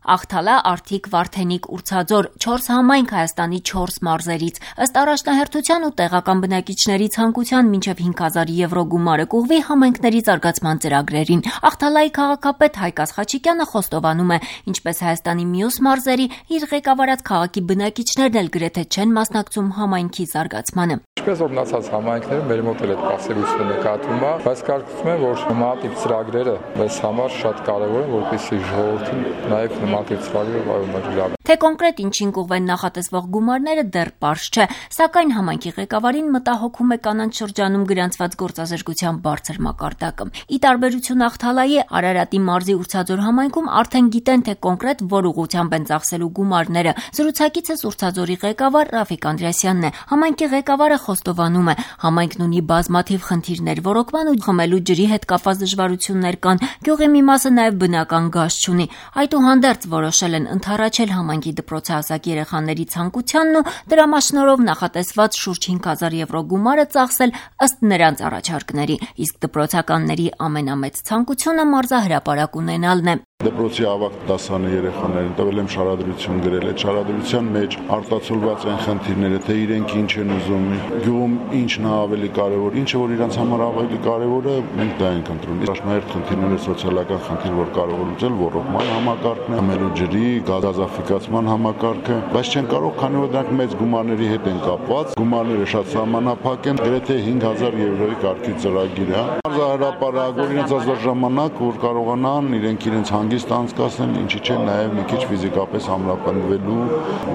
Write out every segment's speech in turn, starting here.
Աղթալա, Արթիկ, Վարդենիկ, Ուրցաձոր 4 համայնք Հայաստանի 4 մարզերից։ Ըստ առաջնահերթության ու տեղական բնակիչների ցանկության մինչև 5000 եվրո գումարը կուղվի համայնքների զարգացման ծրագրերին։ Աղթալայի քաղաքապետ Հայկ Ախաչիկյանը խոստովանում է, ինչպես Հայաստանի մյուս մարզերի, իր ղեկավարած քաղաքի բնակիչներն էլ գրեթե չեն մասնակցում համայնքի զարգացմանը։ Ինչպես որ մնացած համայնքները մեր մոտ էլ այդ պասիվությունը նկատվում է, բայց կարծում եմ, որ նմանատիպ ծրագրերը մեզ համար շատ կարևոր են, որպեսզի ժողովրդին նաև նմանատիպ ծրագրերը լավ։ Թե կոնկրետ ինչին կուղվեն նախատեսվող գումարները դեռ պարզ չէ, սակայն համայնքի ղեկավարին մտահոգում է կանանց շրջանում գրանցված գործազրկության բարձր մակարդակը։ Ի տարբերություն Աղթալայի, Արարատի մարզի Ուրցաձոր համայնքում արդեն գիտեն, թե կոնկրետ որ ուղղությամբ են ծախսելու գումարները։ Զրուցակիցս Ուրցաձորի ղեկավար Ռաֆիկ Անդրեասյանն է։ Համայնքի ղեկավարը խոստովանում է, համայնքն ունի բազմաթիվ խնդիրներ, ոռոգման ու խմելու ջրի հետ կապված դժվարություններ կան, գյուղի մի մասը նաև բնական գազ չունի։ Այդուհանդերձ որոշել են ընդառաջել համայնքի դպրոցահասակ երեխաների ցանկությանն ու դրամաշնորհով նախատեսված շուրջ 5000 եվրո գումարը ծախսել ըստ նրանց առաջարկների, իսկ դպրոցականների ամենամեծ ցանկությունը մարզահրապարակ ունենալն է։ Դպրոցի ավագ դասարանի երեխաներին տվել եմ շարադրություն գրել, այդ շարադրության մեջ արտացոլված են խնդիրները, թե իրենք ինչ են ուզում, գյուղում ինչն է ավելի կարևոր, ինչը որ իրանց համար ավելի կարևոր է, մենք դա ենք ընտրում։ Առաջնահերթ խնդիրները սոցիալական խնդիր, որ կարող է լուծել, ոռոգման համակարգն է, խմելու ջրի, գազաֆիկացման համակարգը, բայց չեն կարող, քանի որ դրանք մեծ գումարների հետ են կապված, գումարները շատ սահմանափակ են, գրեթե 5000 եվրոյի կարգի ծրագիր է։ Մարզահրապարակ, որ իրենց ազատ ժամանակ, որ կարողանան իրենց հանգիստ անցկացնել, ինչի չէ նաև մի քիչ ֆիզիկապես ամրապնդվելու,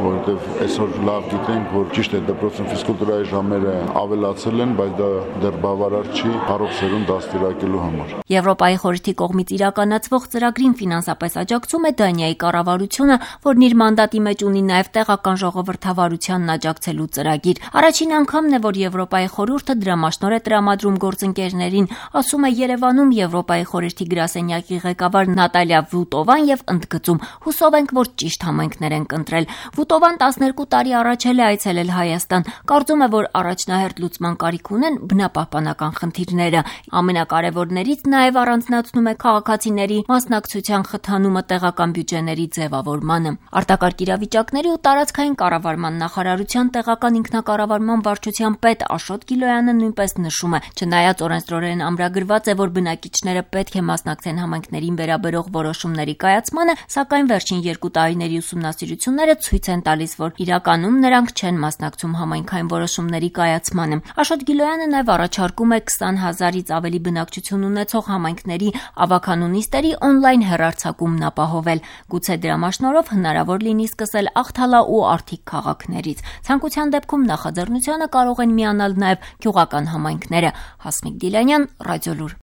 որովհետև այսօր լավ գիտենք, որ ճիշտ է դպրոցում ֆիզկուլտուրայի ժամերը ավելացել են, բայց դա դեռ բավարար չի առողջ սերունդ դաստիարակելու համար։ Եվրոպայի խորհրդի կողմից իրականացվող ծրագրին ֆինանսապես աջակցում է Դանիայի կառավարությունը, որն իր մանդատի մեջ ունի նաև տեղական ժողովրդավարությանն աջակցելու ծրագիր։ Առաջին անգամն է, որ Եվրոպայի խորհուրդը դրամաշնորհ է տրամադրում գործընկերներին, ասում է Երևանում Եվրոպայի խորհրդի գրասենյակի ղեկավար Նատալիա Վուտովան եւ ընդգծում. հուսով ենք, որ ճիշտ համայնքներ են կընտրել։ Վուտովան 12 տարի առաջ էլ է այցելել Հայաստան։ Կարծում է, որ առաջնահերթ լուծման կարիք ունեն բնապահպանական խնդիրները։ Ամենակարևորներից նաև առանձնացնում է քաղաքացիների մասնակցության խթանումը տեղական բյուջեների ձևավորմանը։ Արտակարգ իրավիճակների ու տարածքային կառավարման նախարարության տեղական ինքնակառավարման վարչության պետ Աշոտ Գիլոյանը նույնպես նշում է, չնայած օրենսդրորեն ամրագրված է, որ բնակիչները պետք է մասնակցեն համայնքներին վերաբերող որոշումների կայացմանը, սակայն վերջին 2 տարիների ուսումնասիրությունները ցույց են տալիս, որ իրականում նրանք չեն մասնակցում համայնքային որոշումների կայացմանը։ Աշոտ Գիլոյանը նաև առաջարկում է 20000-ից ավելի բնակչություն ունեցող համայնքների ավագանու նիստերի օնլայն հեռարձակումն ապահովել։ Գուցե դրամաշնորհով հնարավոր լինի սկսել Աղթալա ու Արթիկ քաղաքներից։ Ցանկության դեպքում նախաձեռնությանը կարող են միանալ նաև գյուղական համայնքները։ Հասմիկ Դիլանյան, Ռադիոլուր։